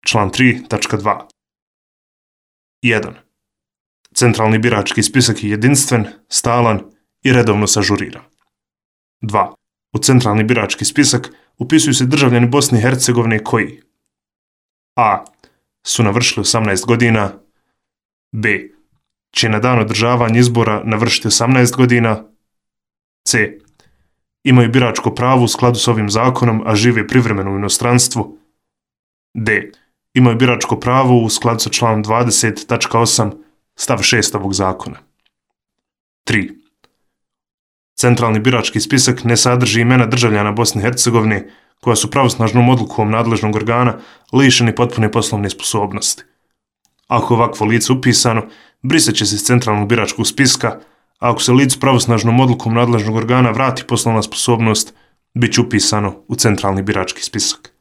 Član 3.2. 1. Centralni birački spisak je jedinstven, stalan i redovno se ažurira. 2. U centralni birački spisak upisuju se državljani Bosne i Hercegovine koji a. su navršili 18 godina, b. će na dan održavanja izbora navršiti 18 godina, c. imaju biračko pravo u skladu s ovim zakonom, a žive privremeno u inostranstvu, d. imaju biračko pravo u skladu sa članom 20.8 stav 6 ovog zakona. 3. Centralni birački spisak ne sadrži imena državljana Bosne i Hercegovine koja su pravosnažnom odlukom nadležnog organa lišeni potpune poslovne sposobnosti. Ako je ovakvo lice upisano, brisat će se iz centralnog biračkog spiska, a ako se licu pravosnažnom odlukom nadležnog organa vrati poslovna sposobnost, bit će upisano u centralni birački spisak.